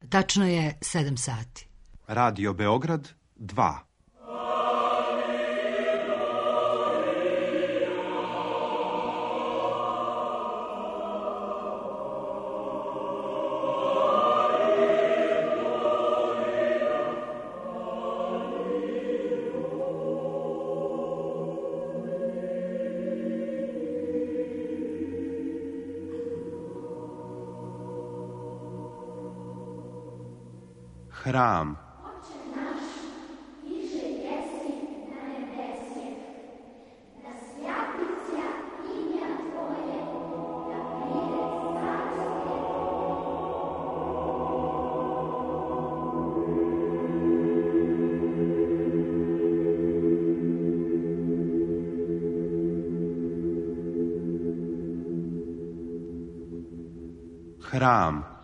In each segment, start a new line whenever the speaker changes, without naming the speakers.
Tačno je 7 sati.
Radio Beograd 2. Hram. Hram.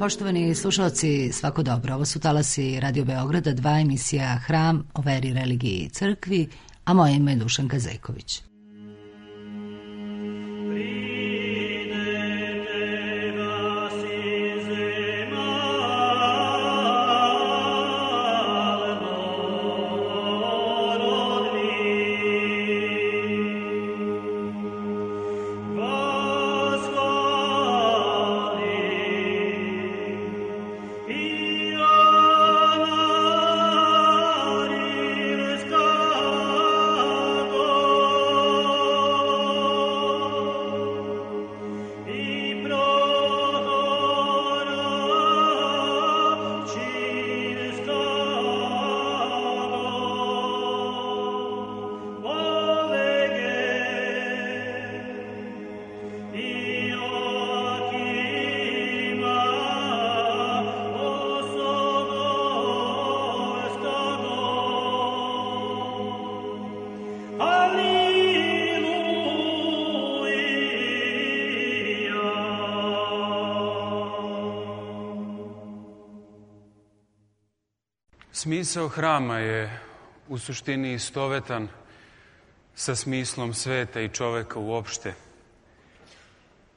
Poštovani slušalci, svako dobro. Ovo su talasi Radio Beograda 2, emisija Hram o veri, religiji i crkvi, a moje ime je Dušanka Zejković.
Smisao hrama je u suštini istovetan sa smislom sveta i čoveka uopšte.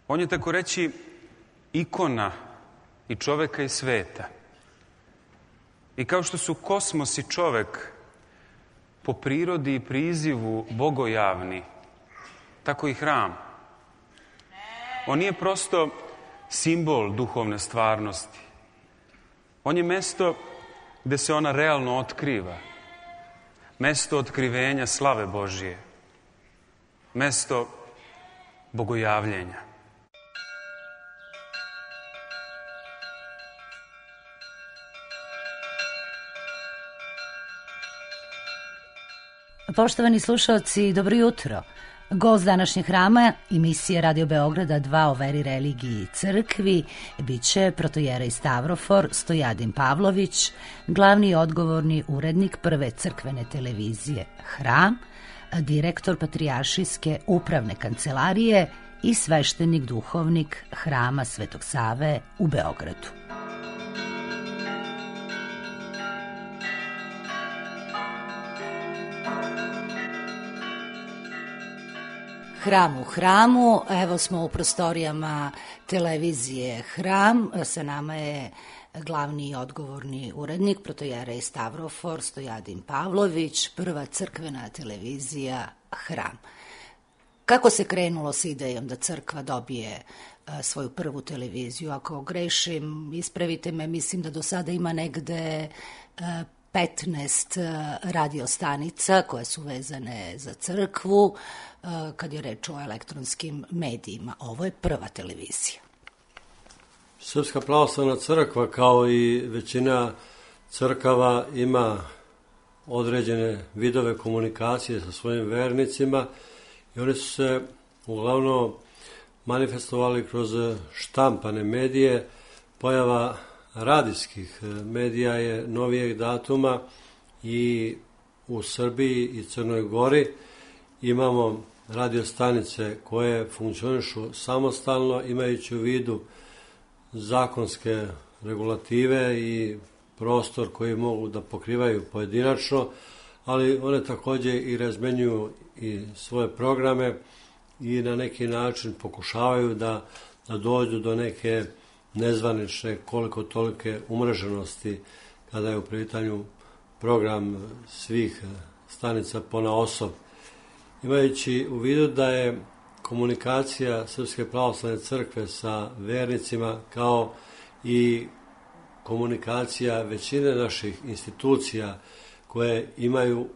On je, tako reći, ikona i čoveka i sveta. I kao što su kosmos i čovek po prirodi i prizivu bogojavni, tako i hram. On nije prosto simbol duhovne stvarnosti. On je mesto gde se ona realno otkriva. Mesto otkrivenja slave Božije. Mesto bogojavljenja.
Poštovani slušalci, dobro jutro. Gost današnjeg hrama, emisije Radio Beograda 2 o veri, religiji i crkvi, biće protojerej Stavrofor Stojadin Pavlović, glavni i odgovorni urednik prve crkvene televizije Hram, direktor Patrijaršijske upravne kancelarije i sveštenik duhovnik Hrama Svetog Save u Beogradu. Hram u hramu, evo smo u prostorijama televizije Hram, sa nama je glavni i odgovorni urednik, protojerej Stavrofor Stojadin Pavlović, prva crkvena televizija Hram. Kako se krenulo s idejom da crkva dobije svoju prvu televiziju? Ako grešim, ispravite me, mislim da do sada ima negde 15 radiostanica koje su vezane za crkvu kad je reč o elektronskim medijima. Ovo je prva televizija.
Srpska pravoslavna crkva, kao i većina crkava, ima određene vidove komunikacije sa svojim vernicima i oni su se uglavnom manifestovali kroz štampane medije. Pojava radijskih medija je novijeg datuma i u Srbiji i Crnoj Gori imamo radiostanice koje funkcionišu samostalno, imajući u vidu zakonske regulative i prostor koji mogu da pokrivaju pojedinačno, ali one također i razmenjuju i svoje programe i na neki način pokušavaju da dođu do neke nezvanične koliko tolike umreženosti kada je u pitanju program svih stanica ponaosob. Imajući u vidu da je komunikacija Srpske pravoslavne crkve sa vernicima kao i komunikacija većine naših institucija koje imaju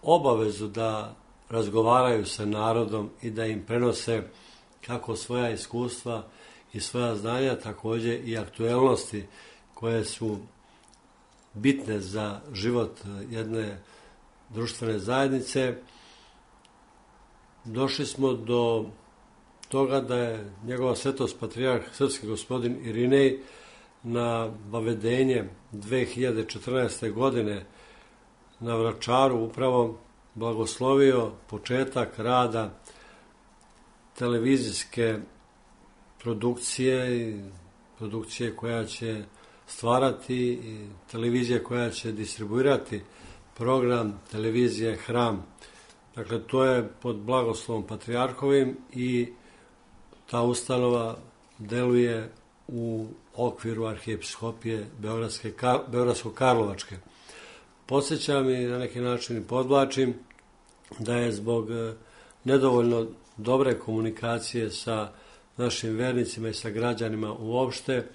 obavezu da razgovaraju sa narodom i da im prenose kako svoja iskustva i svoja znanja, također i aktuelnosti koje su bitne za život jedne društvene zajednice. Došli smo do toga da je njegova svetost patrijarh srpski gospodin Irinej na vavedenje 2014. godine na Vračaru upravo blagoslovio početak rada televizijske produkcije i produkcije koja će stvarati i televizije koja će distribuirati program televizije Hram. Dakle, to je pod blagoslovom patrijarhovim i ta ustanova deluje u okviru arhijepiskopije Beogradsko-Karlovačke. Podsjećam i na neki način podvlačim da je zbog nedovoljno dobre komunikacije sa našim vernicima i sa građanima uopšte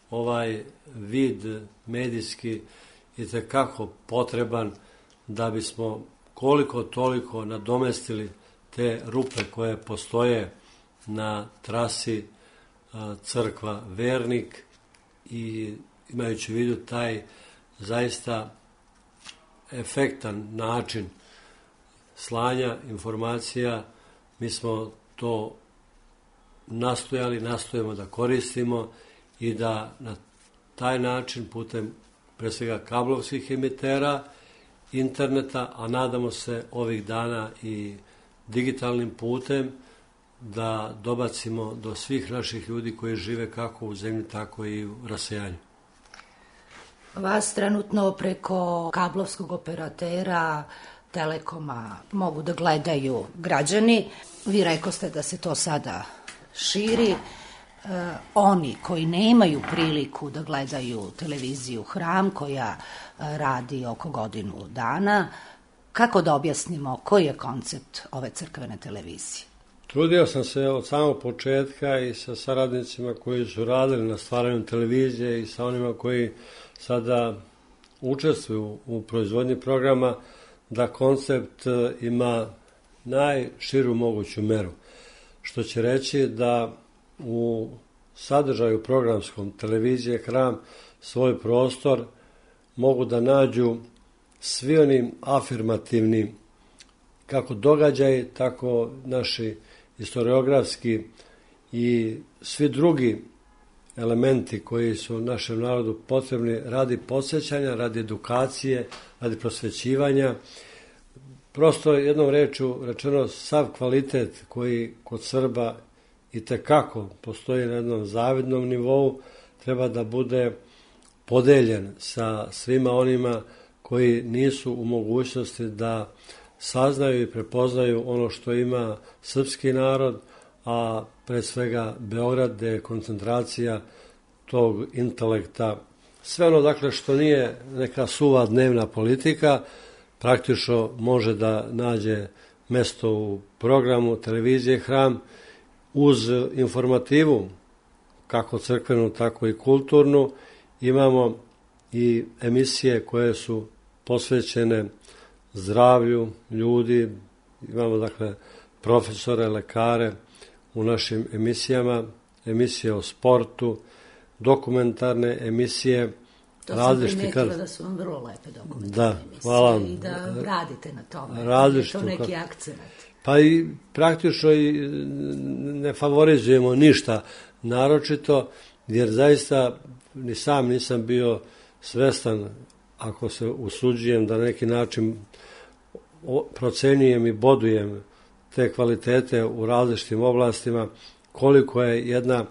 ovaj vid medijski itekako potreban da bismo koliko toliko nadomestili te rupe koje postoje na trasi crkva vernik i imajući u vidu taj zaista efektan način slanja informacija, mi smo to nastojimo da koristimo i da na taj način putem pre svega kablovskih emitera, interneta, a nadamo se ovih dana i digitalnim putem da dobacimo do svih naših ljudi koji žive kako u zemlji, tako i u rasejanju.
Vas trenutno preko kablovskog operatera Telekoma mogu da gledaju građani. Vi rekoste da se to sada širi. Oni koji nemaju priliku da gledaju televiziju Hram, koja radi oko godinu dana, kako da objasnimo koji je koncept ove crkvene televizije?
Trudio sam se od samog početka i sa saradnicima koji su radili na stvaranju televizije i sa onima koji sada učestvuju u proizvodnji programa, da koncept ima najširu moguću meru. Što će reći da u sadržaju programskom televizije Hram svoj prostor mogu da nađu svi oni afirmativni kako događaji, tako naši historiografski i svi drugi elementi koji su našem narodu potrebni radi podsjećanja, radi edukacije, radi prosvećivanja. Prosto jednom rečju rečeno sav kvalitet koji kod Srba itekako postoji na jednom zavidnom nivou treba da bude podeljen sa svima onima koji nisu u mogućnosti da saznaju i prepoznaju ono što ima srpski narod, a pre svega Beograd, gde je koncentracija tog intelekta. Sve ono, dakle, što nije neka suva dnevna politika, praktično može da nađe mesto u programu televizije Hram uz informativu, kako crkvenu, tako i kulturnu. Imamo i emisije koje su posvećene zdravlju ljudi. Imamo dakle profesore, lekare u našim emisijama, emisije o sportu, dokumentarne emisije.
To sam primetila da su vam vrlo lepe dokumentarne emisije.
Hvala.
I da radite na tome.
Različito.
To neki akcent.
Pa i praktično i ne favorizujemo ništa naročito, jer zaista ni sam nisam bio svestan, ako se usuđujem da na neki način procenjujem i bodujem te kvalitete u različitim oblastima, koliko je jedna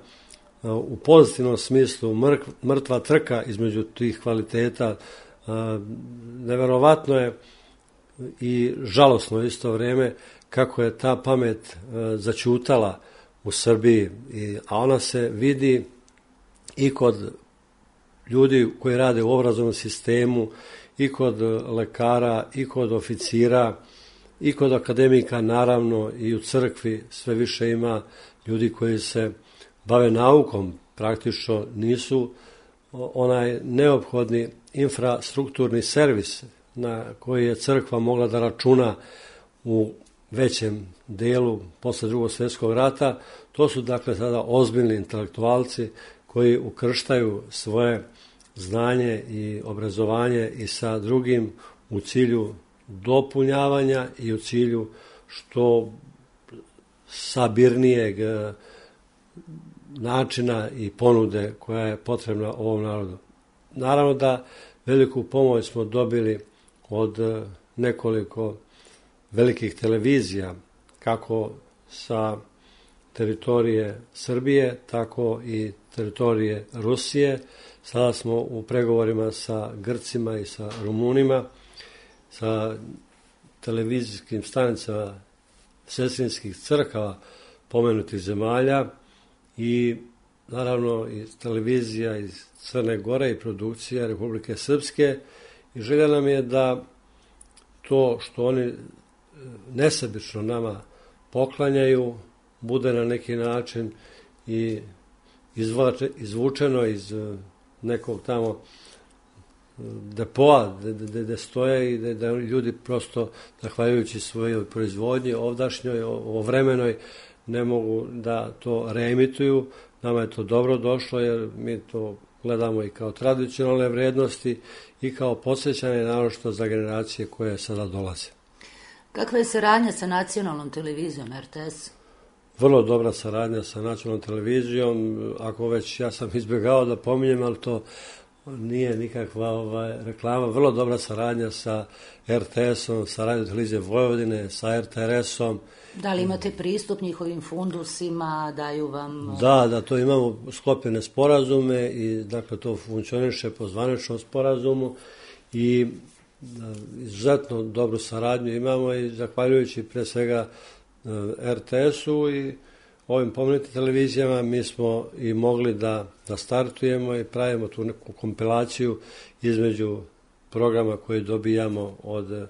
u pozitivnom smislu mrtva trka između tih kvaliteta. Neverovatno je i žalosno isto vrijeme kako je ta pamet začutala u Srbiji, a ona se vidi i kod ljudi koji rade u obrazovnom sistemu, i kod lekara, i kod oficira, i kod akademika, naravno, i u crkvi sve više ima ljudi koji se bave naukom, praktično nisu onaj neophodni infrastrukturni servis na koji je crkva mogla da računa u većem delu posle Drugog svjetskog rata. To su dakle sada ozbiljni intelektualci koji ukrštaju svoje znanje i obrazovanje i sa drugim u cilju dopunjavanja i u cilju što sabirnijeg načina i ponude koja je potrebna ovom narodu. Naravno da veliku pomoć smo dobili od nekoliko velikih televizija, kako sa teritorije Srbije, tako i teritorije Rusije. Sada smo u pregovorima sa Grcima i sa Rumunima, sa televizijskim stanicama sestrinskih crkava pomenutih zemalja i naravno i televizija iz Crne Gore i produkcija Republike Srpske. I želja nam je da to što oni nesebično nama poklanjaju bude na neki način i izvučeno iz nekog tamo depoa gde stoje i da ljudi prosto, zahvaljujući svojoj proizvodnji ovdašnjoj, ovremenoj, ne mogu da to reemituju. Nama je to dobro došlo jer mi to gledamo i kao tradicionalne vrednosti i kao podsjećanje naročito za generacije koje sada dolaze.
Kakva je saradnja sa nacionalnom televizijom RTS?
Vrlo dobra saradnja sa nacionalnom televizijom. Ako već ja sam izbjegao da pominjem, ali to nije nikakva reklama. Vrlo dobra saradnja sa RTS-om, sa Radio televizije Vojvodine, sa RTRS-om.
Da li imate pristup njihovim fundusima, daju vam...
Da, to imamo sklopljene sporazume i dakle to funkcioniše po zvaničnom sporazumu i izuzetno dobru saradnju imamo i zahvaljujući pre svega RTS-u i ovim pomenutim televizijama mi smo i mogli da startujemo i pravimo tu neku kompilaciju između programa koje dobijamo od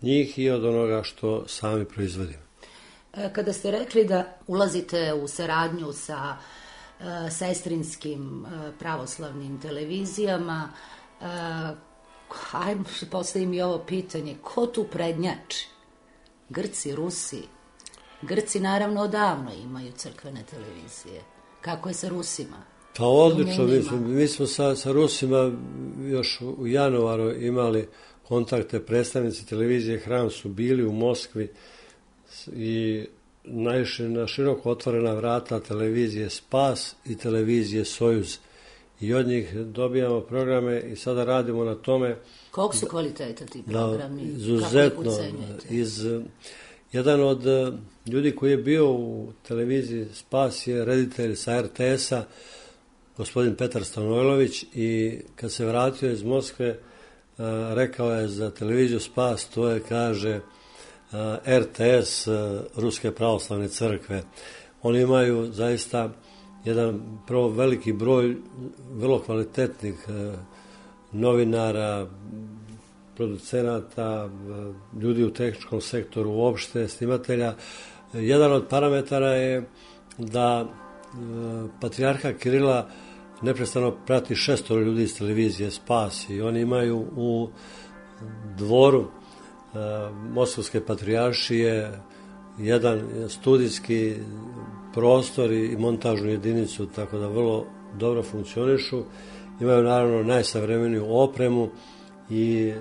njih i od onoga što sami proizvodimo.
Kada ste rekli da ulazite u saradnju sa sestrinskim pravoslavnim televizijama, hajmo postavim i ovo pitanje, ko tu prednjači? Grci, Rusi? Grci naravno odavno imaju crkvene televizije. Kako je sa Rusima?
Pa odlično, mi smo sa Rusima još u januaru imali kontakte, predstavnici televizije Hram su bili u Moskvi i naišli na široko otvorena vrata televizije Spas i televizije Sojuz. I od njih dobijamo programe i sada radimo na tome.
Koliko su kvaliteta ti programi?
Izuzetno. Jedan od ljudi koji je bio u televiziji Spas je reditelj sa RTS-a, gospodin Petar Stanojlović, i kad se vratio iz Moskve rekao je za televiziju Spas, to je, kaže, RTS Ruske pravoslavne crkve. Oni imaju zaista jedan prvo veliki broj vrlo kvalitetnih novinara, producenata, ljudi u tehničkom sektoru uopšte, snimatelja. Jedan od parametara je da patrijarha Kirila neprestano prati 600 ljudi iz televizije Spas i oni imaju u dvoru Moskovske patrijaršije jedan studijski prostor i montažnu jedinicu, tako da vrlo dobro funkcionišu. Imaju naravno najsavremeniju opremu i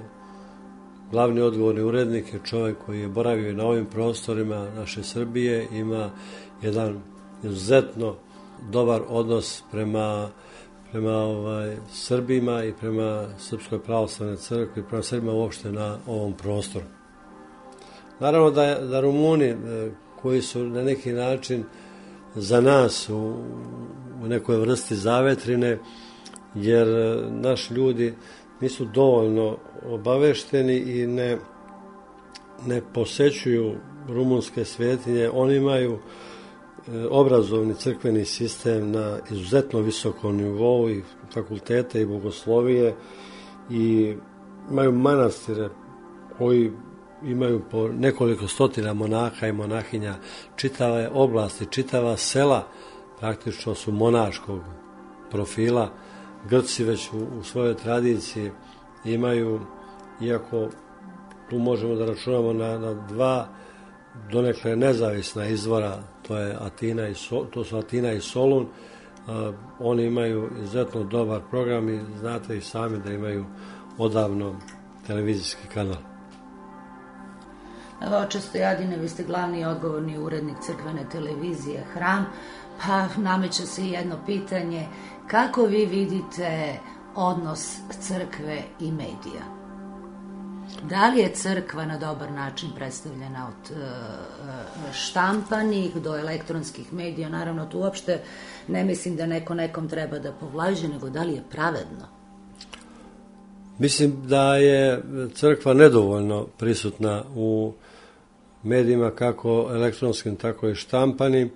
glavni odgovorni urednik je čovjek koji je boravio na ovim prostorima naše Srbije, ima jedan izuzetno dobar odnos prema Srbima i prema Srpskoj pravoslavnoj crkvi i prema Srbima uopšte na ovom prostoru. Naravno da Rumuni koji su na neki način za nas u nekoj vrsti zavetrine, jer naši ljudi nisu dovoljno obavešteni i ne posećuju rumunske svetinje. Oni imaju obrazovni crkveni sistem na izuzetno visokom nivou i fakultete i bogoslovije i imaju manastire koji imaju po nekoliko stotina monaha i monahinja, čitave oblasti, čitava sela praktično su monaškog profila. Grci već u svojoj tradiciji imaju, iako tu možemo da računamo na dva donekle nezavisna izvora, to su Atina i Solun, oni imaju izuzetno dobar program i znate i sami da imaju odavno televizijski kanal.
Oče Stojadine, vi ste glavni i odgovorni urednik crkvene televizije Hram, pa nameće se jedno pitanje, kako vi vidite odnos crkve i medija? Da li je crkva na dobar način predstavljena od štampanih do elektronskih medija? Naravno, tu uopšte ne mislim da neko nekom treba da povlađe, nego da li je pravedno?
Mislim da je crkva nedovoljno prisutna u medijima, kako elektronskim, tako i štampanim,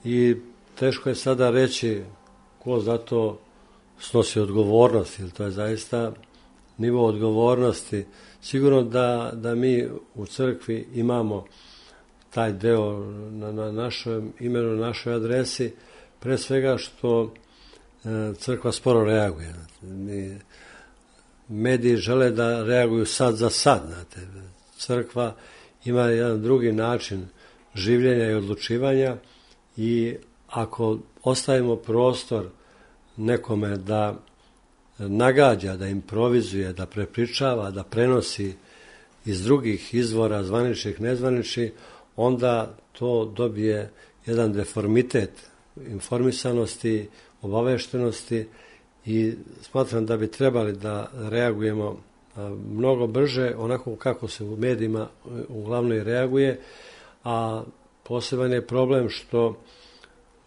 i teško je sada reći ko za to snosi odgovornost, jer to je zaista nivo odgovornosti. Sigurno da mi u crkvi imamo taj deo na našem imenu, na našoj adresi, pre svega što crkva sporo reaguje. Mediji žele da reaguju sad za sad. Znate. Crkva ima jedan drugi način življenja i odlučivanja i ako ostavimo prostor nekome da nagađa, da improvizuje, da prepričava, da prenosi iz drugih izvora, zvaničnih, nezvaničnih, onda to dobije jedan deformitet informisanosti, obaveštenosti i smatram da bi trebali da reagujemo mnogo brže, onako kako se u medijima uglavnom i reaguje, a poseban je problem što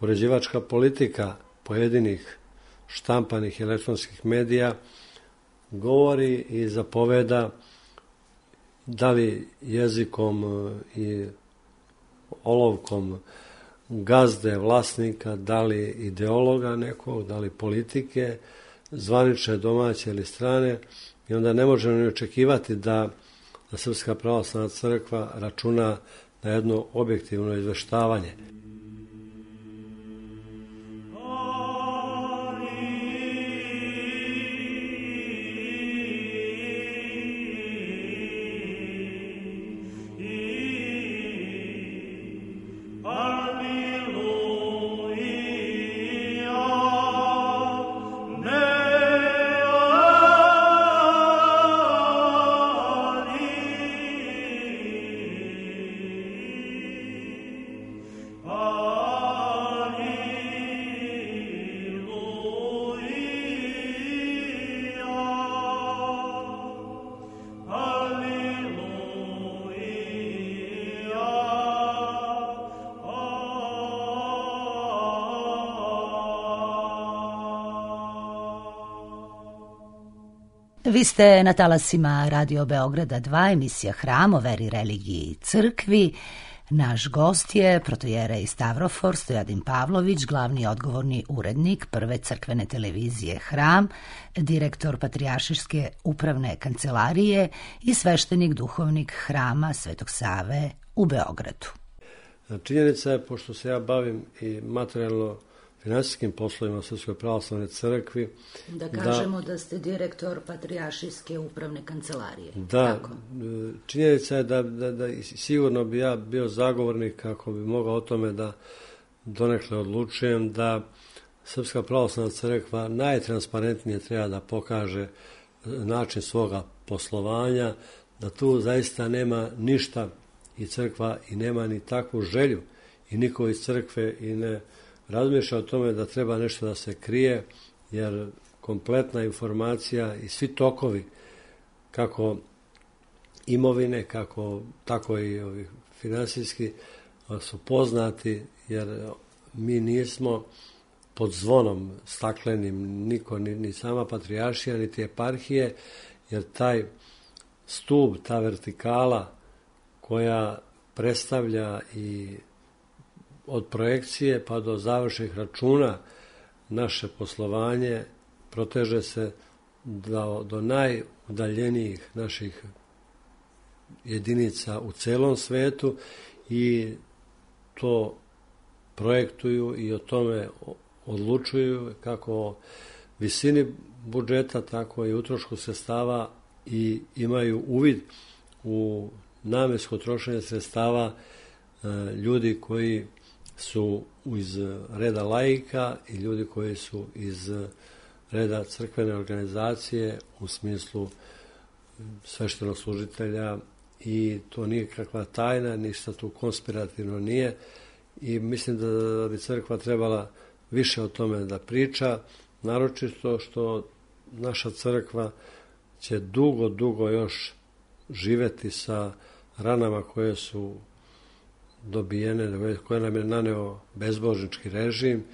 uređivačka politika pojedinih štampanih elektronskih medija govori i zapoveda, da li jezikom i olovkom gazde, vlasnika, da li ideologa nekog, da li politike, zvanične, domaće ili strane, i onda ne možemo ni očekivati da Srpska pravoslavna crkva računa na jedno objektivno izveštavanje.
Vi ste na talasima Radio Beograda 2, emisija Hram o veri, religiji i crkvi. Naš gost je protojerej Stavrofor Stojadin Pavlović, glavni odgovorni urednik prve crkvene televizije Hram, direktor Patrijaršijske upravne kancelarije i sveštenik duhovnik Hrama Svetog Save u Beogradu.
Činjenica je, pošto se ja bavim i materijalno finansijskim poslovima u Srpskoj pravoslavnoj crkvi.
Da kažemo da ste direktor Patrijaršijske upravne kancelarije.
Da, činjenica je da sigurno bi ja bio zagovornik, kako bi mogao o tome da donekle odlučujem, da Srpska pravoslavna crkva najtransparentnije treba da pokaže način svoga poslovanja, da tu zaista nema ništa i crkva i nema ni takvu želju i niko iz crkve i ne razmišlja o tome da treba nešto da se krije, jer kompletna informacija i svi tokovi, kako imovine, tako i ovi finansijski, su poznati, jer mi nismo pod zvonom staklenim, niko, ni sama patrijaršija, niti eparhije, jer taj stup, ta vertikala koja predstavlja i od projekcije pa do završnih računa naše poslovanje proteže se do najudaljenijih naših jedinica u celom svetu i to projektuju i o tome odlučuju kako o visini budžeta, tako i utrošku sredstava i imaju uvid u namensko trošenje sredstava ljudi koji su iz reda laika i ljudi koji su iz reda crkvene organizacije u smislu sveštenog služitelja, i to nije kakva tajna, ništa tu konspirativno nije, i mislim da bi crkva trebala više o tome da priča, naročito što naša crkva će dugo još živeti sa ranama koje su dobijene, koje nam je naneo bezbožnički režim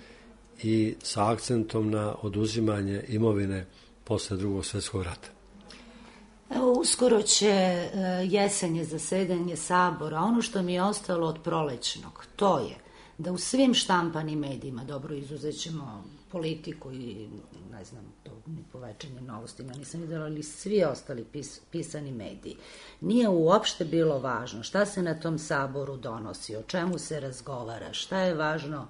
i sa akcentom na oduzimanje imovine posle Drugog svjetskog rata.
Evo, uskoro će jesenje zasedanje Sabora. Ono što mi je ostalo od prolećnog, to je da u svim štampanim medijima, dobro, izuzećemo Politiku i, ne znam, to ni po Večernjim novostima nisam vidjela, ali svi ostali pisani mediji, nije uopšte bilo važno šta se na tom Saboru donosi, o čemu se razgovara, šta je važno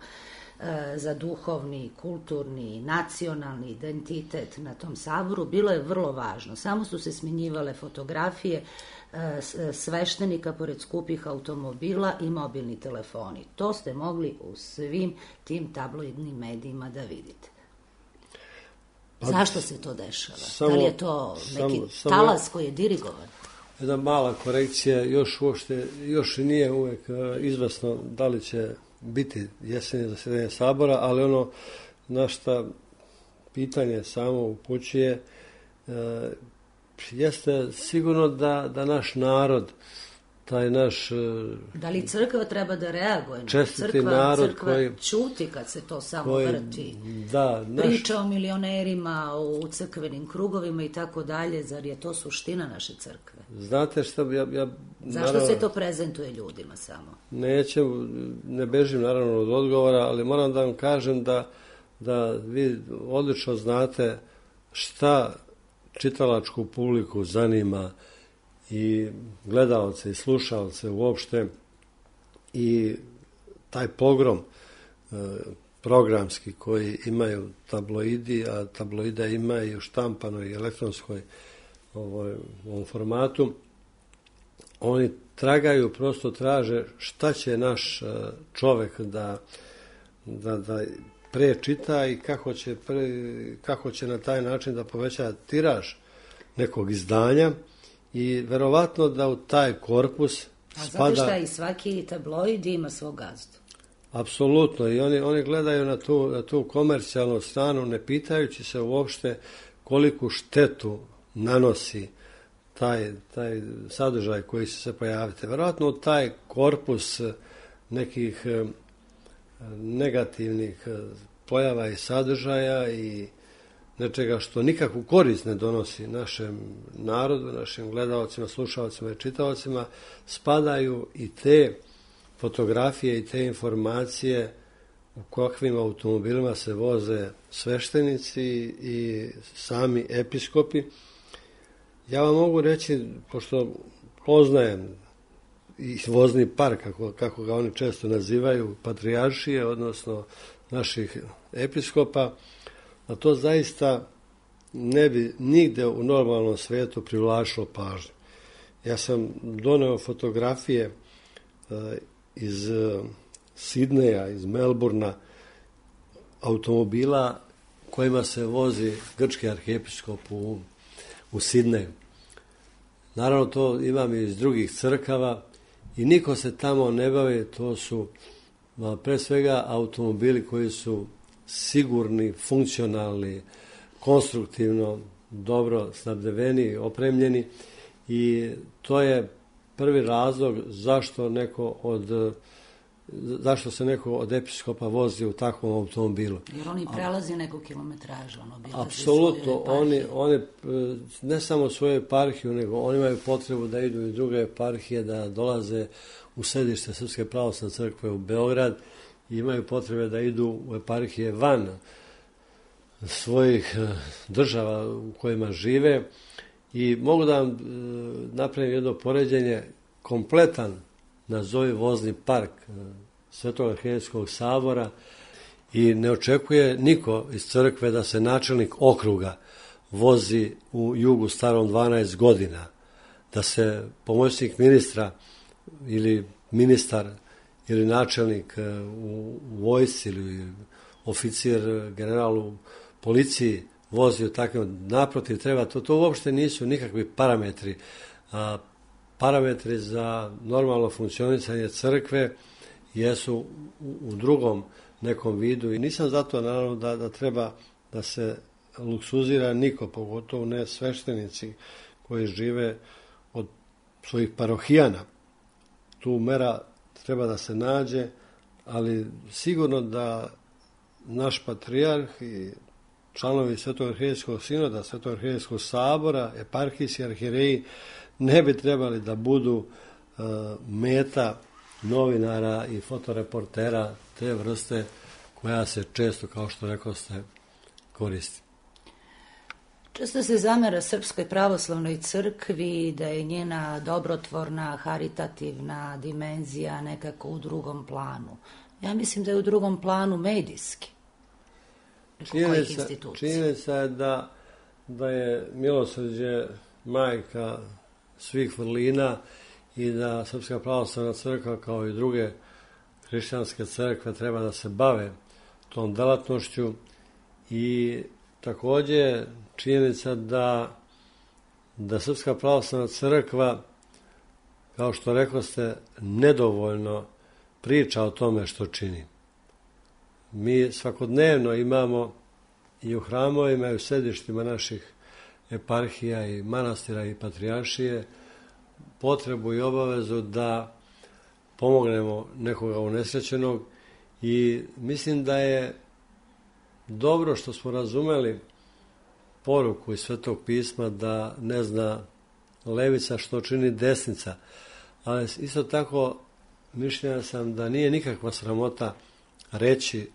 za duhovni, kulturni, nacionalni identitet na tom Saboru. Bilo je vrlo važno. Samo su se smenjivale fotografije sveštenika pored skupih automobila i mobilni telefoni. To ste mogli u svim tim tabloidnim medijima da vidite. Zašto se to dešava? Da li je to neki talas koji je dirigovan?
Jedna mala korekcija, još nije uvek izvesno da li će biti jesenje zasedanje Sabora, ali ono na šta pitanje samo upućuje jeste sigurno da naš narod, taj naš
da li crkva treba da reaguje?
Čestiti narod
crkva
koji
ćuti kad se to samo vrti. Priča o milionerima, o crkvenim krugovima i tako dalje, zar je to suština naše crkve?
Znate šta,
zašto se to prezentuje ljudima samo?
Ne bežim naravno od odgovora, ali moram da vam kažem da vi odlično znate šta čitalačku publiku zanima i gledalce i slušalce uopšte, i taj pogrom programski koji imaju tabloidi, a tabloida ima i u štampanoj i elektronskoj ovom formatu, oni tragaju, prosto traže šta će naš čovek da prečita i kako će na taj način da poveća tiraž nekog izdanja, i verovatno da u taj korpus spada...
A znate šta, i svaki tabloid ima svog gazdu.
Apsolutno, i oni gledaju na tu komercijalnu stranu, ne pitajući se uopšte koliku štetu nanosi taj sadržaj koji će se pojaviti. Verovatno u taj korpus nekih negativnih pojava i sadržaja i nečega što nikakvu korist ne donosi našem narodu, našim gledalcima, slušalcima i čitaocima, spadaju i te fotografije i te informacije u kakvim automobilima se voze sveštenici i sami episkopi. Ja vam mogu reći, pošto poznajem i vozni park, kako ga oni često nazivaju, patrijaršije, odnosno naših episkopa, da to zaista ne bi nigde u normalnom svijetu privlačilo pažnju. Ja sam doneo fotografije iz Sidneja, iz Melburna, automobila kojima se vozi grčki arhijepiskop u Sidneju. Naravno, to imam i iz drugih crkava i niko se tamo ne bavi, to su pre svega automobili koji su sigurni, funkcionalni, konstruktivno, dobro snabdeveni, opremljeni i to je prvi razlog zašto se neko od episkopa vozi u takvom automobilu.
Jer oni prelazi neku kilometražu.
Apsolutno, oni ne samo svoju eparhiju, nego oni imaju potrebu da idu i druge eparhije, da dolaze u središte Srpske pravoslavne crkve u Beograd i imaju potrebe da idu u eparhije van svojih država u kojima žive i mogu da vam napravim jedno poređenje, kompletan nazovi vozni park Svetog arhijerejskog sabora i ne očekuje niko iz crkve da se načelnik okruga vozi u jugu starom 12 godina, da se pomoćnik ministra ili ministar ili načelnik u vojsci ili oficir general u policiji vozi u takvom, naprotiv treba, to uopšte nisu nikakvi parametri. Parametri za normalno funkcionisanje crkve jesu u drugom nekom vidu i nisam zato naravno da treba da se luksuzira niko, pogotovo ne sveštenici koji žive od svojih parohijana. Tu mera treba da se nađe, ali sigurno da naš patrijarh i članovi Svetog arhijerejskog sinoda, Svetog arhijerejskog sabora, eparhijski arhijereji ne bi trebali da budu meta novinara i fotoreportera te vrste koja se često, kao što rekao ste, koristi.
Često se zamera Srpskoj pravoslavnoj crkvi da je njena dobrotvorna, haritativna dimenzija nekako u drugom planu. Ja mislim da je u drugom planu medijski.
Činjenica je da je milosrđe majka svih vrlina i da Srpska pravoslavna crkva kao i druge hrišćanske crkve treba da se bave tom delatnošću i također činjenica da Srpska pravoslavna crkva, kao što rekoste, nedovoljno priča o tome što čini. Mi svakodnevno imamo i u hramovima i u sedištima naših eparhija i manastira i patrijaršije potrebu i obavezu da pomognemo nekoga unesrećenog i mislim da je dobro što smo razumeli poruku iz Svetog pisma da ne zna levica što čini desnica, ali isto tako mišljenja sam da nije nikakva sramota reći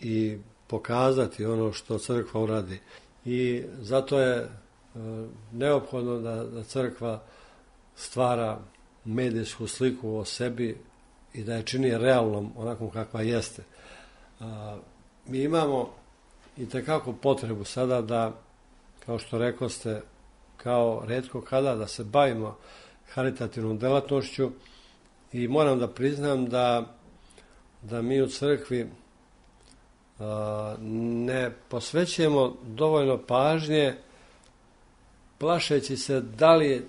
i pokazati ono što crkva uradi. I zato je neophodno da crkva stvara medijsku sliku o sebi i da je čini realnom onakvom kakva jeste. Mi imamo itekako potrebu sada da, kao što rekoste, kao retko kada da se bavimo haritativnom delatnošću i moram da priznam da mi u crkvi ne posvećujemo dovoljno pažnje plašeći se da li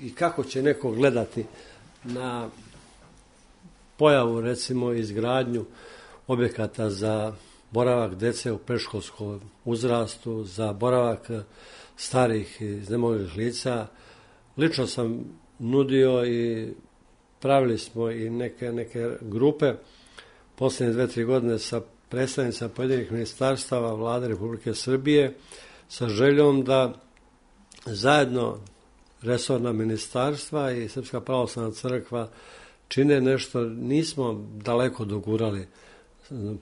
i kako će neko gledati na pojavu, recimo, izgradnju objekata za boravak dece u predškolskom uzrastu, za boravak starih i iznemoglih lica. Lično sam nudio i pravili smo i neke grupe posljednje 2-3 godine sa predstavnicima pojedinih ministarstava Vlade Republike Srbije sa željom da zajedno resorna ministarstva i Srpska pravoslavna crkva čine nešto, nismo daleko dogurali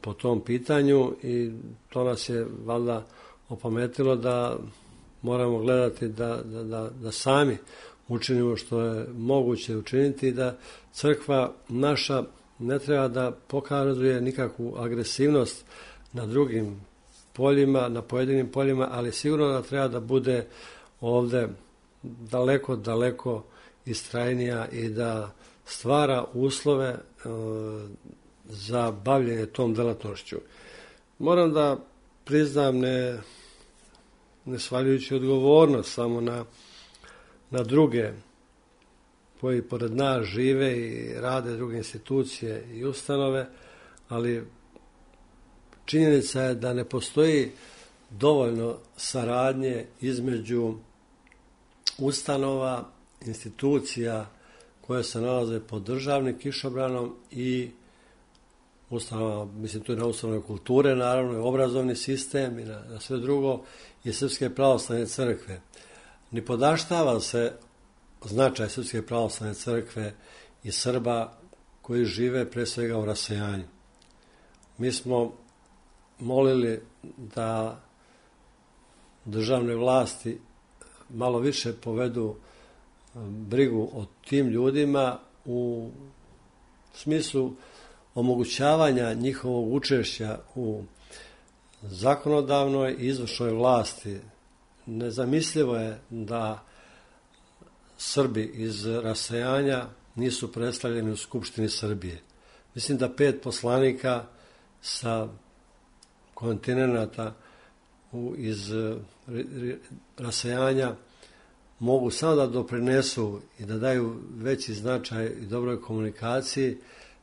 po tom pitanju i to nas je valjda opametilo da moramo gledati da sami učinimo što je moguće učiniti i da crkva naša ne treba da pokazuje nikakvu agresivnost na drugim poljima, na pojedinim poljima, ali sigurno da treba da bude ovde daleko, daleko istrajnija i da stvara uslove za bavljenje tom delatnošću. Moram da priznam, ne svaljujući odgovornost samo na druge koji pored nas žive i rade druge institucije i ustanove, ali činjenica je da ne postoji dovoljno saradnje između ustanova, institucija koje se nalaze pod državnim kišobranom i ustanova, mislim tu je na ustanove kulture, naravno i obrazovni sistem i na sve drugo i Srpske pravoslavne crkve. Ni podaštava se značaj Srpske pravoslavne crkve i Srba koji žive pre svega u rasejanju. Mi smo molili da državne vlasti malo više povedu brigu o tim ljudima u smislu omogućavanja njihovog učešća u zakonodavnoj i izvršnoj vlasti. Nezamislivo je da Srbi iz rasejanja nisu predstavljeni u Skupštini Srbije. Mislim da 5 poslanika sa kontinenta iz rasejanja mogu samo da doprinesu i da daju veći značaj i dobroj komunikaciji.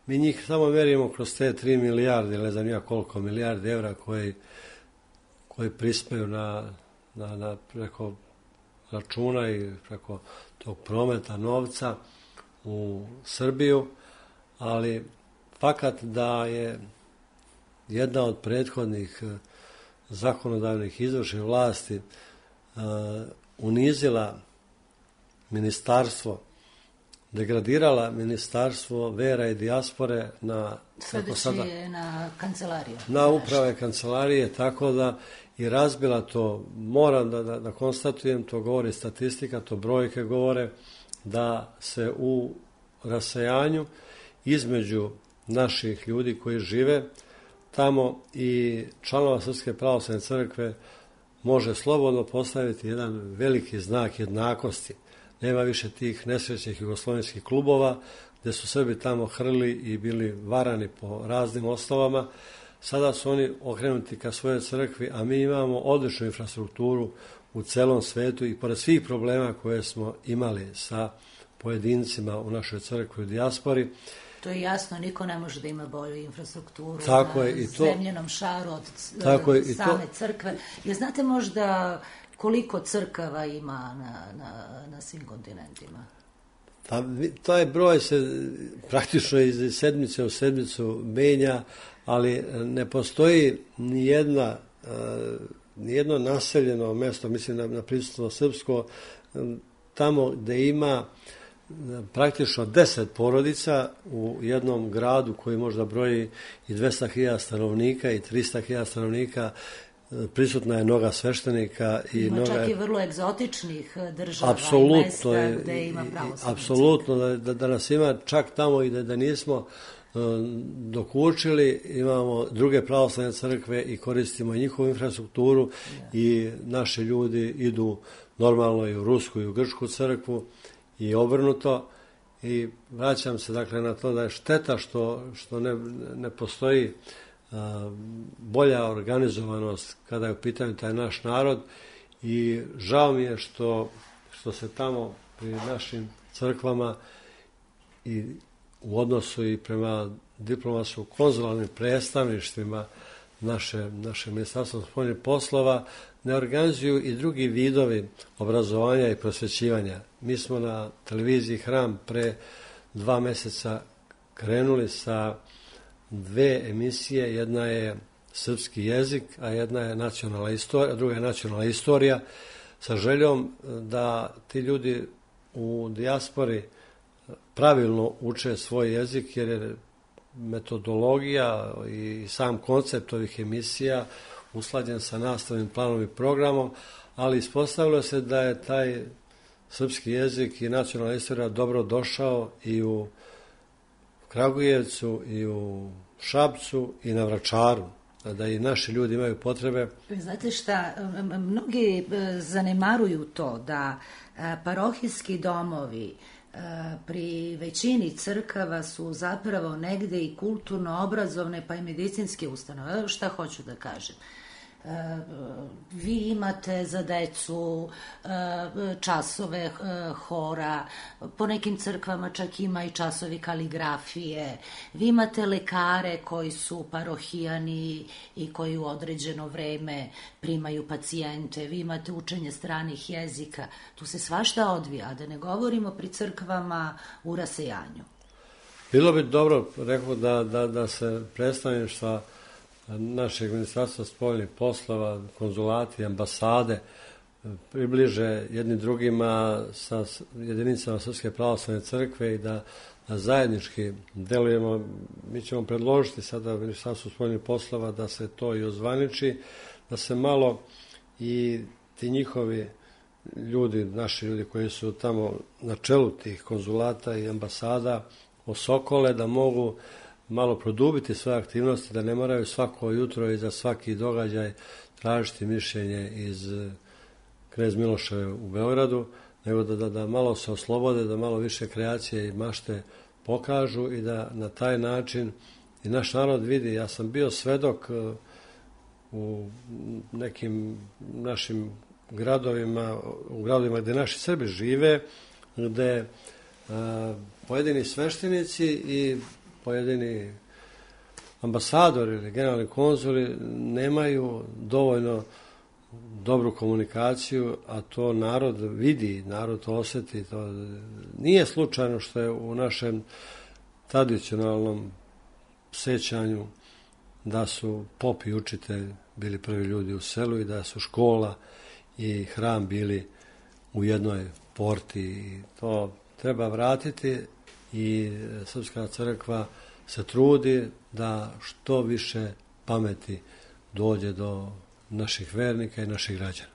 Mi njih samo merimo kroz te 3 milijarde, ili ne znam ja koliko milijarde evra koji prispaju na preko računa i preko tog prometa novca u Srbiju, ali fakat da je jedna od prethodnih zakonodavnih izvršnih vlasti unizila ministarstvo, degradirala ministarstvo vera i dijaspore na
kancelariju.
Na uprave kancelarije, tako da i razbila to. Moram da konstatujem, to govori statistika, to brojke govore, da se u rasejanju između naših ljudi koji žive tamo i članova Srpske pravoslavne crkve može slobodno postaviti jedan veliki znak jednakosti. Nema više tih nesrećnih jugoslovenskih klubova gde su Srbi tamo hrli i bili varani po raznim osnovama. Sada su oni okrenuti ka svojoj crkvi, a mi imamo odličnu infrastrukturu u celom svetu i pored svih problema koje smo imali sa pojedincima u našoj crkvi u dijaspori.
To je jasno, niko ne može da ima bolju infrastrukturu
tako
na
je,
zemljenom šaru od same crkve. Jer znate možda koliko crkava ima na svim kontinentima?
Pa, taj broj se praktično iz sedmice u sedmicu menja, ali ne postoji nijedno naseljeno mesto, mislim na prisutno srpsko, tamo gde ima praktično 10 porodica u jednom gradu koji možda broji i 200.000 stanovnika i 300.000 stanovnika, prisutna je mnoga sveštenika.
Ima čak i vrlo egzotičnih država i mesta gde ima pravoslavna.
Apsolutno, da nas ima čak tamo i da nismo dokučili, imamo druge pravoslavne crkve i koristimo njihovu infrastrukturu i naši ljudi idu normalno i u Rusku i u Grčku crkvu i obrnuto. I vraćam se dakle na to da je šteta što ne postoji bolja organizovanost kada je u pitanju taj naš narod i žao mi je što se tamo pri našim crkvama i u odnosu i prema diplomatsko-konzularnim predstavništvima naše ministarstvo spoljnih poslova ne organizuju i drugi vidovi obrazovanja i prosvećivanja. Mi smo na televiziji Hram pre 2 meseca krenuli sa 2 emisije, jedna je srpski jezik, a jedna je nacionalna istorija, druga je nacionalna istorija, sa željom da ti ljudi u dijaspori pravilno uče svoj jezik, jer je metodologija i sam koncept ovih emisija usklađen sa nastavnim planom i programom, ali ispostavilo se da je taj srpski jezik i nacionalna istorija dobro došao i u Kragujevcu i u Šapcu i na Vračaru. da i naši ljudi imaju potrebe.
Znate šta, mnogi zanemaruju to da parohijski domovi pri većini crkava su zapravo negde i kulturno-obrazovne pa i medicinske ustanove. Šta hoću da kažem? Vi imate za decu časove hora, po nekim crkvama čak ima i časovi kaligrafije, vi imate lekare koji su parohijani i koji u određeno vreme primaju pacijente, vi imate učenje stranih jezika, tu se svašta odvija, a da ne govorimo pri crkvama u rasejanju.
Bilo bi dobro, rekao, da se predstavništva našeg ministarstva spoljnih poslova, konzulati, ambasade približe jedni drugima sa jedinicama Srpske pravoslavne crkve i da zajednički delujemo. Mi ćemo predložiti sada ministarstvu spoljnih poslova da se to i ozvaniči, da se malo i ti njihovi ljudi, naši ljudi koji su tamo na čelu tih konzulata i ambasada osokole, da mogu malo produbiti svoje aktivnosti, da ne moraju svako jutro i za svaki događaj tražiti mišljenje iz Knez Miloševe u Beogradu, nego da malo se oslobode, da malo više kreacije i mašte pokažu i da na taj način i naš narod vidi. Ja sam bio svedok u nekim našim gradovima, u gradovima gde naši Srbi žive, gde pojedini sveštenici i pojedini ambasadori ili generalni konzuli nemaju dovoljno dobru komunikaciju, a to narod vidi, narod to osjeti. To nije slučajno što je u našem tradicionalnom sećanju da su pop i učitelj bili prvi ljudi u selu i da su škola i hram bili u jednoj porti. I to treba vratiti i Srpska crkva se trudi da što više pameti dođe do naših vernika i naših građana.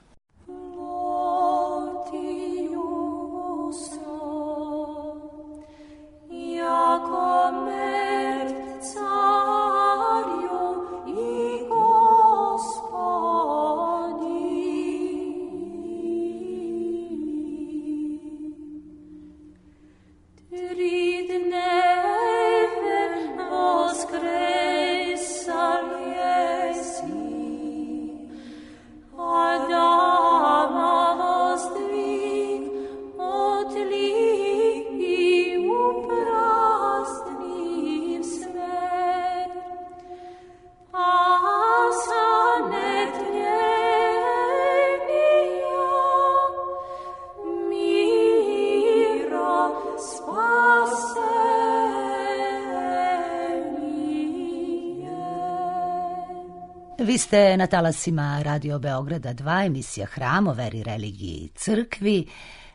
Vi ste na talasima Radio Beograda 2, emisija Hram o veri, religiji i crkvi.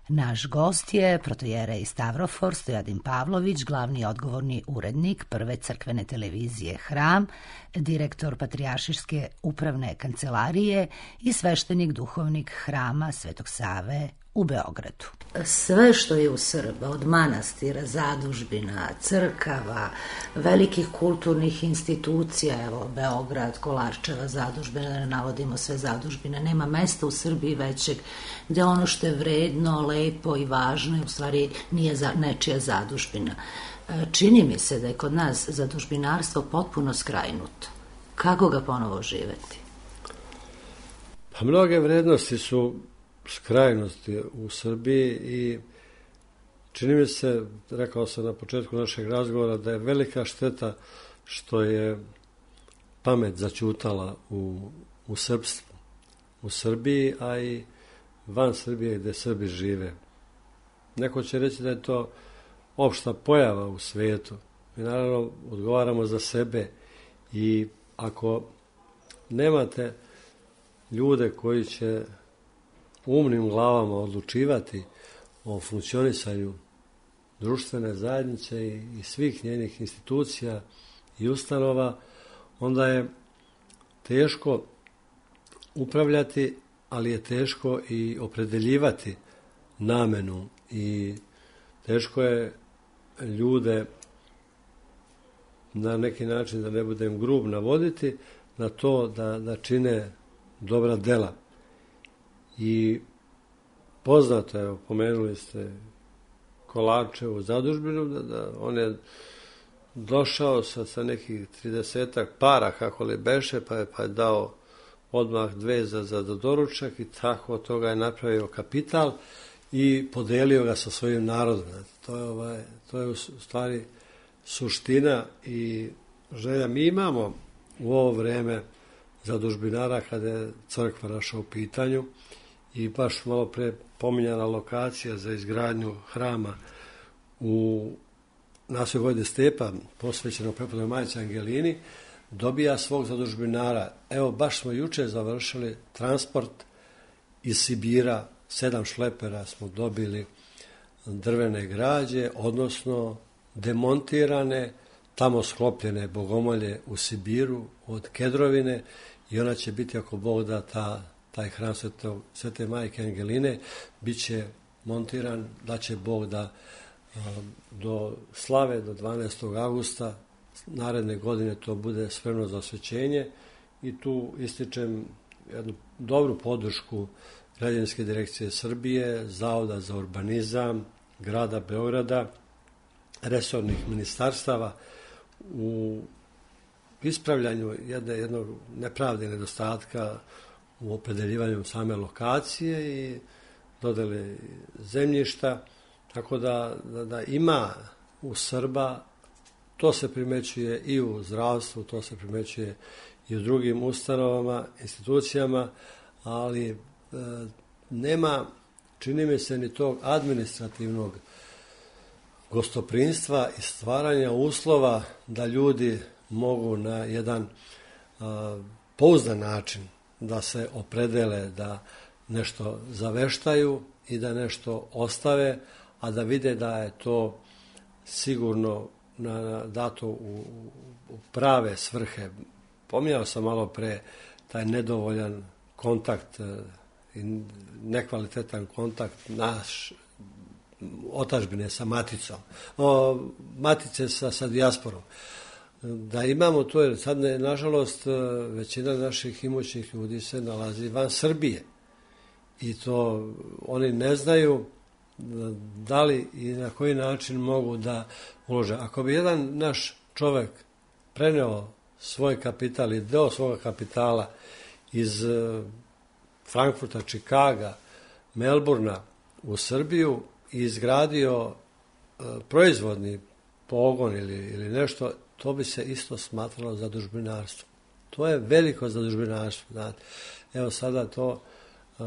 Naš gost je protojerej Stavrofor Stojadin Pavlović, glavni odgovorni urednik prve crkvene televizije Hram, direktor Patrijaršijske upravne kancelarije i sveštenik duhovnik Hrama Svetog Save u Beogradu. Sve što je u Srba, od manastira, zadužbina, crkava, velikih kulturnih institucija, evo Beograd, Kolarčeva zadužbina, da ne navodimo sve zadužbine, nema mesta u Srbiji većeg gde ono što je vredno, lepo i važno je u stvari nije nečija zadužbina. Čini mi se da je kod nas zadužbinarstvo potpuno skrajnuto. Kako ga ponovo živeti?
Pa mnoge vrednosti su skrajnosti u Srbiji i čini mi se, rekao sam na početku našeg razgovora, da je velika šteta što je pamet zaćutala u srpstvu, u Srbiji, a i van Srbije gde Srbi žive. Neko će reći da je to opšta pojava u svetu. Mi naravno odgovaramo za sebe i ako nemate ljude koji će umnim glavama odlučivati o funkcionisanju društvene zajednice i svih njenih institucija i ustanova, onda je teško upravljati, ali je teško i opredeljivati namenu i teško je ljude na neki način, da ne budem grub, navoditi na to da čine dobra dela. I poznato je, pomenuli ste Kolarčevu zadužbinu, da on je došao sa nekih 30 para, kako li beše, pa je dao odmah 2 za doručak i tako od toga je napravio kapital i podelio ga sa svojim narodom. To je u stvari suština i želja. Mi imamo u ovo vreme zadužbinara kada je crkva naša u pitanju i baš malo pre pominjana lokacija za izgradnju hrama u naselju Vojvode Stepa, posvećeno prepodnoj Majci Angelini, dobija svog zadužbinara. Evo, baš smo juče završili transport iz Sibira, 7 šlepera smo dobili drvene građe, odnosno demontirane, tamo sklopljene bogomolje u Sibiru od Kedrovine i ona će biti, ako Bog da, taj hram Svete Majke Angeline, bit će montiran, da će Bog da do slave, do 12. augusta naredne godine to bude spremno za osvećenje i tu ističem jednu dobru podršku Građevinske direkcije Srbije, Zavoda za urbanizam, grada Beograda, resornih ministarstava u ispravljanju jednog nepravde i nedostatka u opredeljivanju same lokacije i dodele zemljišta, tako da ima u Srba, to se primećuje i u zdravstvu, to se primećuje i u drugim ustanovama, institucijama, ali nema, čini mi se, ni tog administrativnog gostoprinstva i stvaranja uslova da ljudi mogu na jedan pouzdan način da se opredele, da nešto zaveštaju i da nešto ostave, a da vide da je to sigurno dato u prave svrhe. Pominjao sam malo pre taj nedovoljan kontakt i nekvalitetan kontakt naš otadžbine sa maticom, matice sa dijasporom. Da imamo to, jer sad nažalost većina naših imućnih ljudi se nalazi van Srbije i to oni ne znaju da li i na koji način mogu da ulože. Ako bi jedan naš čovek preneo svoj kapital i deo svoga kapitala iz Frankfurta, Čikaga, Melburna u Srbiju i izgradio proizvodni pogon ili nešto, to bi se isto smatralo zadužbinarstvo. To je veliko zadužbinarstvo. Znate. Evo sada to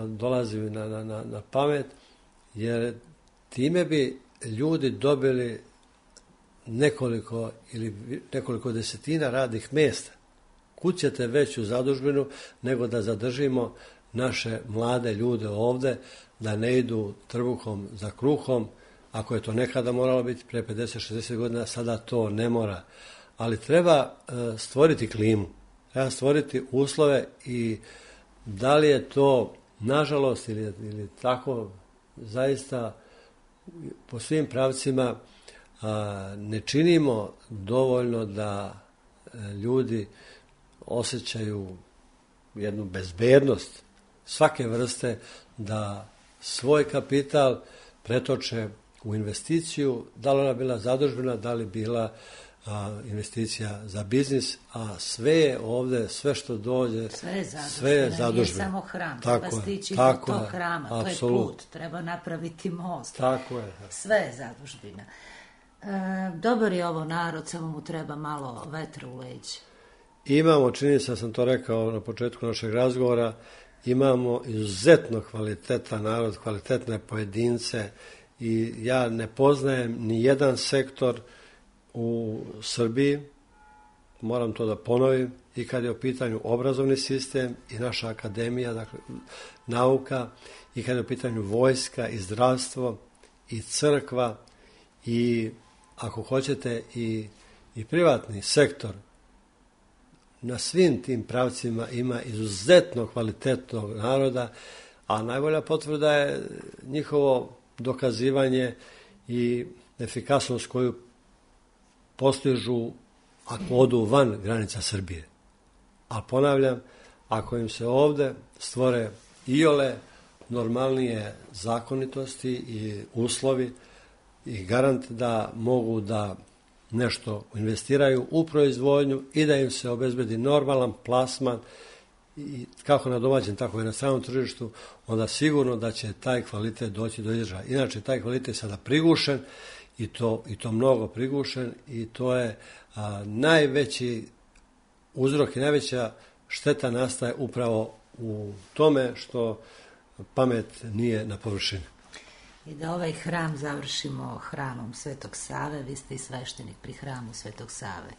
dolazi na pamet, jer time bi ljudi dobili nekoliko desetina radnih mjesta. Kud ćete veću zadužbinu nego da zadržimo naše mlade ljude ovde, da ne idu trbuhom za kruhom. Ako je to nekada moralo biti pre 50-60 godina, sada to ne mora. Ali treba stvoriti klimu, treba stvoriti uslove i da li je to nažalost ili tako zaista po svim pravcima ne činimo dovoljno da ljudi osjećaju jednu bezbednost svake vrste, da svoj kapital pretoče u investiciju, da li ona bila zadužbina, da li bila investicija za biznis, a sve je ovde, sve što dođe, sve je zadužbina.
Nije samo hram, treba stići do tog hrama, to je put, treba napraviti most.
Tako je.
Sve je zadužbina. Dobar je ovo narod, samo mu treba malo vetra u leđe.
Imamo, čini se, sam to rekao na početku našeg razgovora, imamo izuzetno kvalitetan narod, kvalitetne pojedince i ja ne poznajem ni jedan sektor u Srbiji, moram to da ponovim, i kad je u pitanju obrazovni sistem i naša akademija, dakle nauka, i kad je u pitanju vojska i zdravstvo i crkva i ako hoćete i privatni sektor, na svim tim pravcima ima izuzetno kvalitetnog naroda, a najbolja potvrda je njihovo dokazivanje i efikasnost koju postižu ako odu van granica Srbije. A ponavljam, ako im se ovde stvore iole normalnije zakonitosti i uslovi i garant da mogu da nešto investiraju u proizvodnju i da im se obezbedi normalan plasman i kako na domaćem, tako i na stranom tržištu, onda sigurno da će taj kvalitet doći do izražaja. Inače, taj kvalitet je sada prigušen i to mnogo prigušen i to je najveći uzrok i najveća šteta nastaje upravo u tome što pamet nije na površini.
I da ovaj hram završimo hramom Svetog Save, vi ste i sveštenik pri hramu Svetog Save.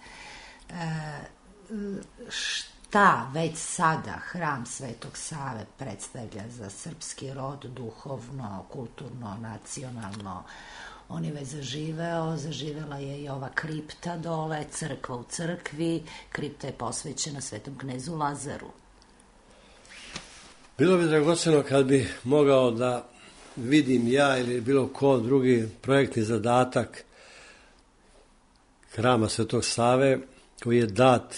Šta već sada hram Svetog Save predstavlja za srpski rod, duhovno, kulturno, nacionalno? On je već zaživeo, zaživela je i ova kripta dole, crkva u crkvi, kripta je posvećena Svetom knezu Lazaru.
Bilo bi dragoceno kad bi mogao da vidim ja ili bilo ko drugi projektni zadatak hrama Svetog Save koji je dat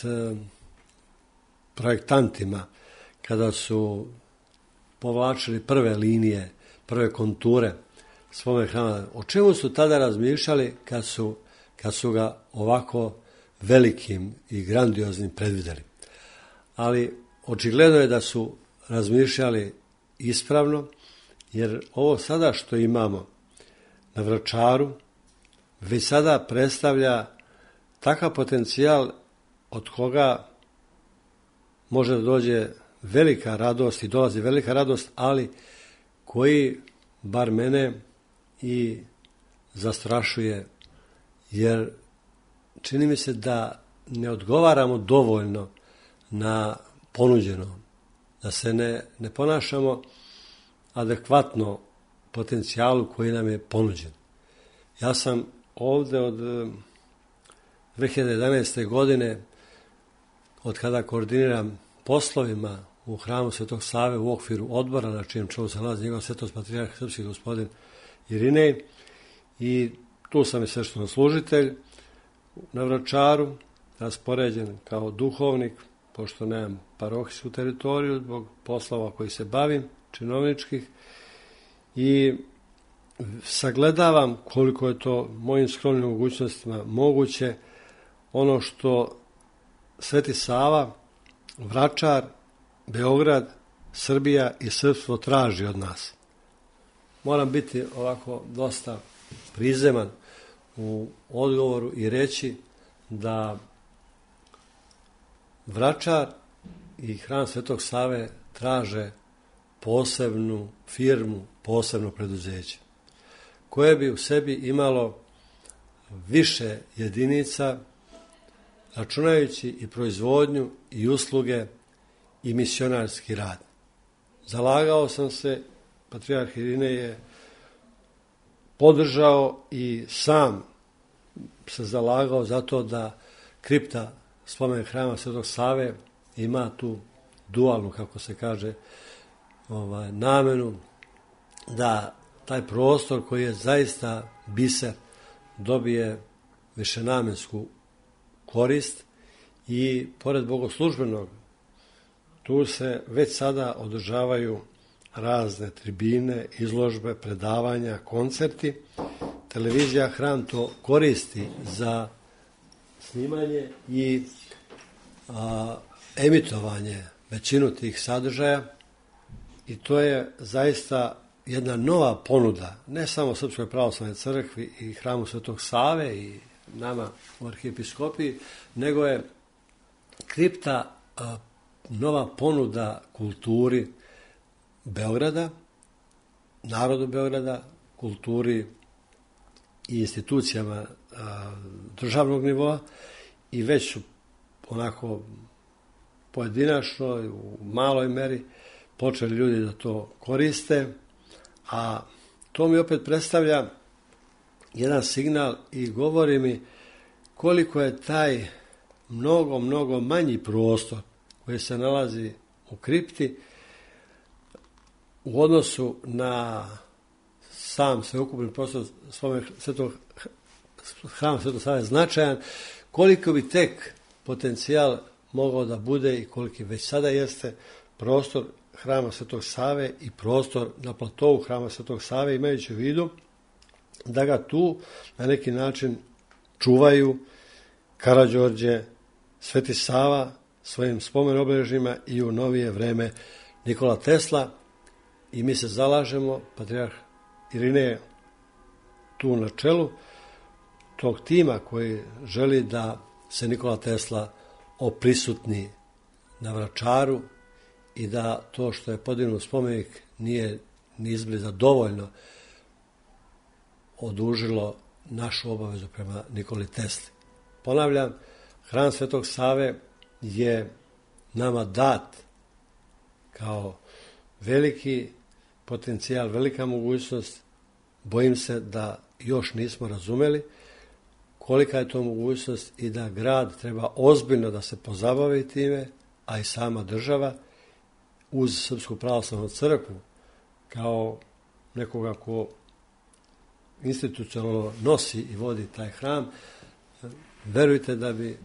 projektantima kada su povlačili prve linije, prve konture svome hrama. O čemu su tada razmišljali kad su ga ovako velikim i grandioznim predvideli. Ali očigledno je da su razmišljali ispravno, jer ovo sada što imamo na Vračaru već sada predstavlja takav potencijal od koga može da dođe velika radost i dolazi velika radost, ali koji bar mene i zastrašuje, jer čini mi se da ne odgovaramo dovoljno na ponuđeno, da se ne ponašamo adekvatno potencijalu koji nam je ponuđen. Ja sam ovde od 2011. godine, od kada koordiniram poslovima u hramu Svetog Save u okviru odbora na čijem čelu se nalazi njegov svetost patrijarh srpski gospodin Irinej, i tu sam i sveštenoslужitelj na Vračaru, raspoređen kao duhovnik, pošto nemam parohijsku teritoriju zbog poslova koji se bavim, činovničkih, i sagledavam koliko je to mojim skromnim mogućnostima moguće, ono što Sveti Sava, Vračar, Beograd, Srbija i srpstvo traži od nas. Moram biti ovako dosta prizeman u odgovoru i reći da Vračar i hram Svetog Save traže posebnu firmu, posebno preduzeće, koje bi u sebi imalo više jedinica, računajući i proizvodnju i usluge i misionarski rad. Zalagao sam se, patrijarh Irinej je podržao i sam se zalagao za to da kripta spomen hrama Svetog Save ima tu dualnu, kako se kaže, namenu, da taj prostor koji je zaista biser dobije višenamensku korist i pored bogoslužbenog tu se već sada održavaju razne tribine, izložbe, predavanja, koncerti. Televizija Hram to koristi za snimanje i emitovanje većinu tih sadržaja i to je zaista jedna nova ponuda, ne samo Srpskoj pravoslavnoj crkvi i hramu Svetog Save i nama u arhijepiskopiji, nego je kripta nova ponuda kulturi Beograda, narodu Beograda, kulturi i institucijama državnog nivoa i već su onako pojedinačno u maloj meri počeli ljudi da to koriste, a to mi opet predstavlja jedan signal i govori mi koliko je taj mnogo manji prostor koji se nalazi u kripti u odnosu na sam sveukupni prostor hrama Svetog Save značajan, koliko bi tek potencijal mogao da bude i koliki već sada jeste prostor Hrama Svetog Save i prostor na platovu Hrama Svetog Save, imajući u vidu da ga tu na neki način čuvaju Karađorđe, Sveti Sava svojim spomen obeležjima i u novije vreme Nikola Tesla, i mi se zalažemo, patrijarh Irinej tu na čelu tog tima koji želi da se Nikola Tesla oprisutni na Vračaru i da to što je podignut spomenik nije ni izbliza dovoljno odužilo našu obavezu prema Nikoli Tesli. Ponavljam, Hram Svetog Save je nama dat kao veliki potencijal, velika mogućnost. Bojim se da još nismo razumeli kolika je to mogućnost i da grad treba ozbiljno da se pozabavi time, a i sama država uz Srpsku pravoslavnu crkvu kao nekoga ko institucionalno nosi i vodi taj hram. Verujte da bi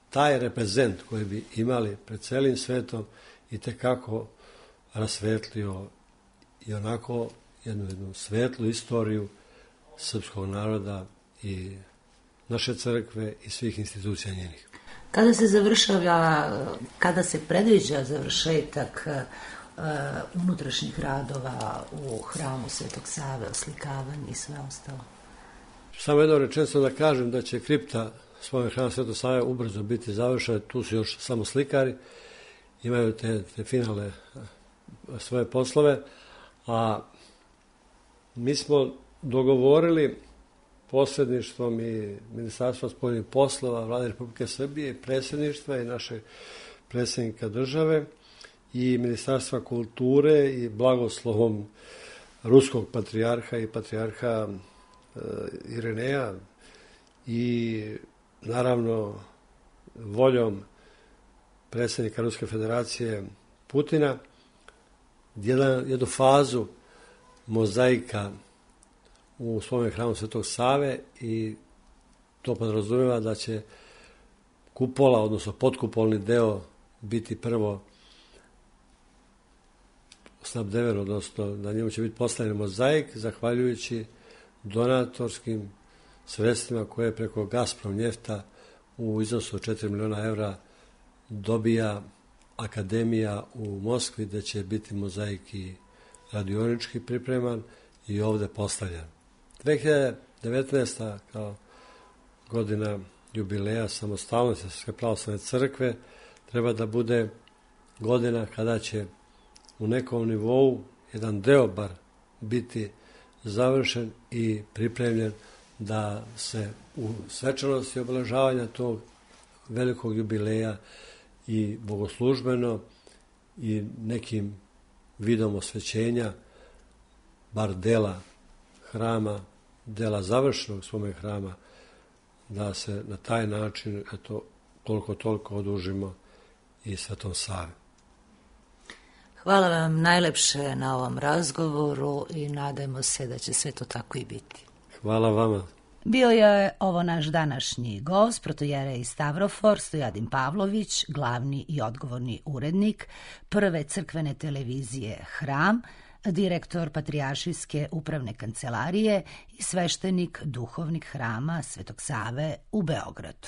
taj reprezent koji bi imali pred celim svetom i tekako rasvetlio i onako jednu svetlu istoriju srpskog naroda i naše crkve i svih institucija njenih.
Kada se predviđa završetak unutrašnjih radova u Hramu Svetog Save, oslikavanje i sve ostalo?
Samo jedno rečenicu da kažem da će kripta spomen Hrama Svetog Save ubrzo biti završena. Tu su još samo slikari, imaju te finalne svoje poslove, a mi smo dogovorili posredništvom i Ministarstva spoljnih poslova Vlade Republike Srbije, predsjedništva i našeg predsjednika države i Ministarstva kulture i blagoslovom ruskog patrijarha i patrijarha Irineja i naravno voljom predsjednika Ruske federacije Putina jednu fazu mozaika u spomen Hramu Svetog Save, i to podrazumijeva da će kupola, odnosno potkupolni deo biti prvo snabdeven, odnosno na njemu će biti postavljen mozaik zahvaljujući donatorskim sredstvima koje preko Gazprom njefta u iznosu od 4 miliona evra dobija akademija u Moskvi, gde će biti mozaik i radionički pripreman i ovde postavljen. 2019. kao godina jubileja samostalnosti Srpske pravoslavne crkve treba da bude godina kada će u nekom nivou jedan deo bar biti završen i pripremljen da se u svečanosti obeležavanja tog velikog jubileja i bogoslužbeno i nekim vidom osvećenja bar dela hrama, dela završenog spomen hrama, da se na taj način koliko toliko odužimo i Svetom Savi.
Hvala vam najlepše na ovom razgovoru i nadajmo se da će sve to tako i biti.
Hvala vama.
Bio je ovo naš današnji gost, protojerej Stavrofor Stojadin Pavlović, glavni i odgovorni urednik prve crkvene televizije Hram, direktor Patrijaršijske upravne kancelarije i sveštenik duhovnik Hrama Svetog Save u Beogradu.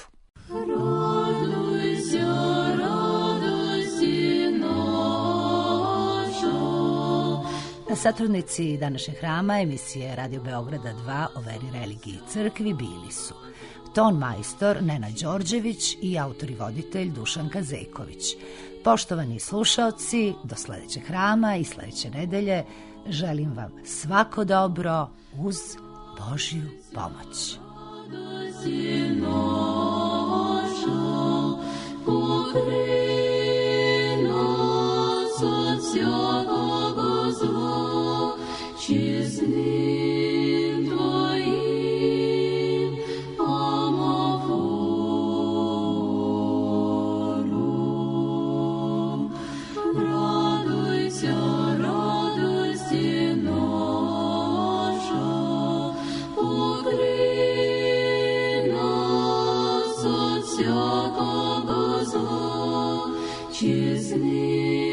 Satrudnici današnjeg hrama emisije Radio Beograda 2 o veri, religiji i crkvi bili su ton majstor Nenad Đorđević i autor i voditelj Dušan Kazeković. Poštovani slušaoci, do sledećeg hrama i sledeće nedelje želim vam svako dobro uz Božju pomoć.
Всякого Otчизны.